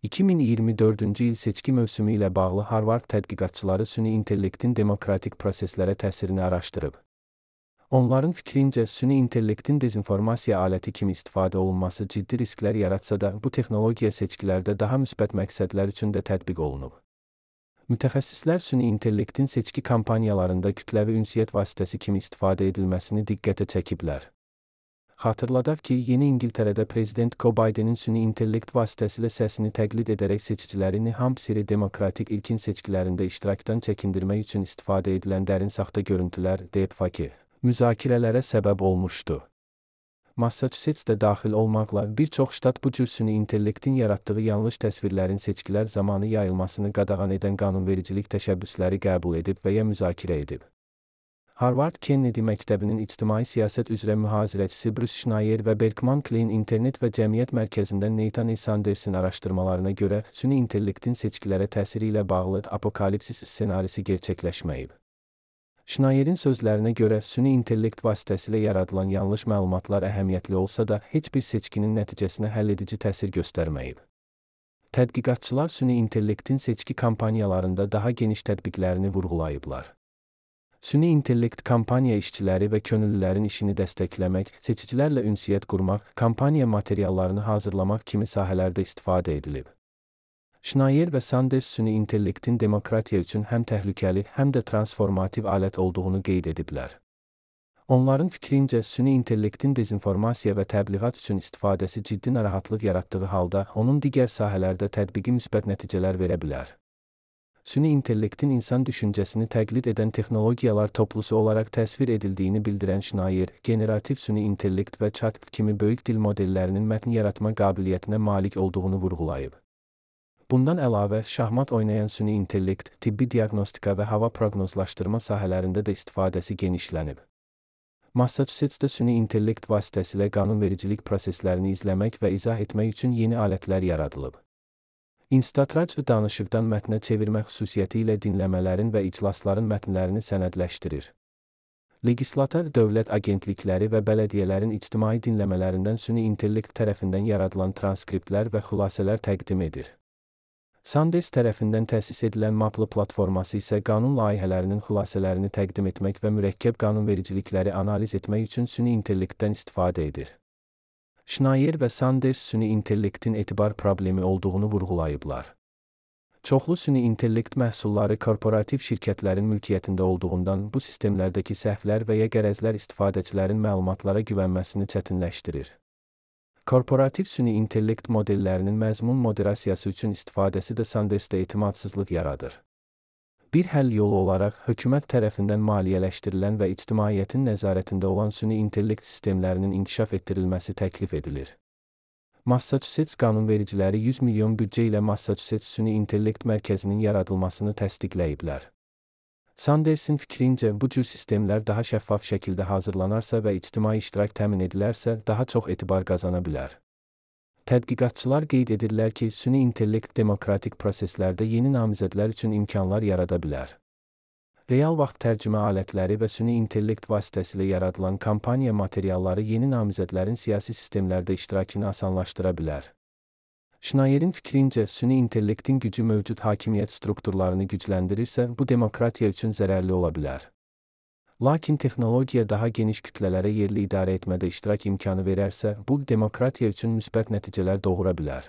2024-cü il seçki mövsümü ilə bağlı Harvard tədqiqatçıları süni intellektin demokratik proseslərə təsirini araşdırıb. Onların fikrincə, süni intellektin dezinformasiya aləti kimi istifadə olunması ciddi risklər yaratsa da, bu texnologiya seçkilərdə daha müsbət məqsədlər üçün də tətbiq olunub. Mütəxəssislər süni intellektin seçki kampaniyalarında kütləvi ünsiyyət vasitəsi kimi istifadə edilməsini diqqətə çəkiblər. Xatırladaq ki, Yeni İngiltərədə Prezident Joe Bidenin süni intellekt vasitəsilə səsini təqlid edərək seçiciləri New Hampshire demokratik ilkin seçkilərində iştirakdan çəkindirmək üçün istifadə edilən dərin saxta görüntülər, deepfake, müzakirələrə səbəb olmuşdu. Massachusetts də daxil olmaqla bir çox ştat bu cür süni intellektin yaratdığı yanlış təsvirlərin seçkilər zamanı yayılmasını qadağan edən qanunvericilik təşəbbüsləri qəbul edib və ya müzakirə edib. Harvard Kennedy Məktəbinin İctimai Siyasət üzrə mühazirəçisi Bruce Schneier və Berkman Klein İnternet və Cəmiyyət Mərkəzindən Nathan E. Sanders'in araşdırmalarına görə süni intellektin seçkilərə təsiri ilə bağlı apokalipsis ssenarisi gerçəkləşməyib. Schneier'in sözlərinə görə süni intellekt vasitəsilə yaradılan yanlış məlumatlar əhəmiyyətli olsa da, heç bir seçkinin nəticəsinə həlledici təsir göstərməyib. Tədqiqatçılar süni intellektin seçki kampaniyalarında daha geniş tətbiqlərini vurğulayıblar. Süni intellekt kampaniya işçiləri və könüllülərin işini dəstəkləmək, seçicilərlə ünsiyyət qurmaq, kampaniya materiallarını hazırlamaq kimi sahələrdə istifadə edilib. Schneier və Sanders süni intellektin demokratiya üçün həm təhlükəli, həm də transformativ alət olduğunu qeyd ediblər. Onların fikrincə, süni intellektin dezinformasiya və təbliğat üçün istifadəsi ciddi narahatlıq yaratdığı halda, onun digər sahələrdə tətbiqi müsbət nəticələr verə bilər. Süni intellektin insan düşüncəsini təqlid edən texnologiyalar toplusu olaraq təsvir edildiyini bildirən Schneier, generativ süni intellekt və chat kimi böyük dil modellərinin mətn yaratma qabiliyyətinə malik olduğunu vurğulayıb. Bundan əlavə, şahmat oynayan süni intellekt, tibbi diaqnostika və hava proqnozlaşdırma sahələrində də istifadəsi genişlənib. Massachusetts'də süni intellekt vasitəsilə qanunvericilik proseslərini izləmək və izah etmək üçün yeni alətlər yaradılıb. Instatrac danışıqdan mətnə çevirmə xüsusiyyəti ilə dinləmələrin və iclasların mətnlərini sənədləşdirir. Legislator dövlət agentlikləri və bələdiyyələrin ictimai dinləmələrindən süni intellekt tərəfindən yaradılan transkriptlər və xülasələr təqdim edir. Sanders tərəfindən təsis edilən Maple platforması isə qanun layihələrinin xülasələrini təqdim etmək və mürəkkəb qanunvericilikləri analiz etmək üçün süni intellektdən istifadə edir. Schneier və Sanders süni intellektin etibar problemi olduğunu vurğulayıblar. Çoxlu süni intellekt məhsulları korporativ şirkətlərin mülkiyyətində olduğundan bu sistemlərdəki səhvlər və ya qərəzlər istifadəçilərin məlumatlara güvənməsini çətinləşdirir. Korporativ süni intellekt modellərinin məzmun moderasiyası üçün istifadəsi də Sandersdə etimadsızlıq yaradır. Bir həll yolu olaraq, hökumət tərəfindən maliyyələşdirilən və ictimaiyyətin nəzarətində olan süni intellekt sistemlərinin inkişaf etdirilməsi təklif edilir. Massachusetts qanunvericiləri 100 milyon büdcə ilə Massachusetts süni intellekt mərkəzinin yaradılmasını təsdiqləyiblər. Sanders'in fikrincə, bu cür sistemlər daha şəffaf şəkildə hazırlanarsa və ictimai iştirak təmin edilərsə, daha çox etibar qazana bilər. Tədqiqatçılar qeyd edirlər ki, süni intellekt demokratik proseslərdə yeni namizədlər üçün imkanlar yarada bilər. Real vaxt tərcümə alətləri və süni intellekt vasitəsilə yaradılan kampaniya materialları yeni namizədlərin siyasi sistemlərdə iştirakını asanlaşdıra bilər. Schneier'in fikrincə, süni intellektin gücü mövcud hakimiyyət strukturlarını gücləndirirsə, bu demokratiya üçün zərərli ola bilər. Lakin texnologiya daha geniş kütlələrə yerli idarə etmədə iştirak imkanı verərsə, bu demokratiya üçün müsbət nəticələr doğura bilər.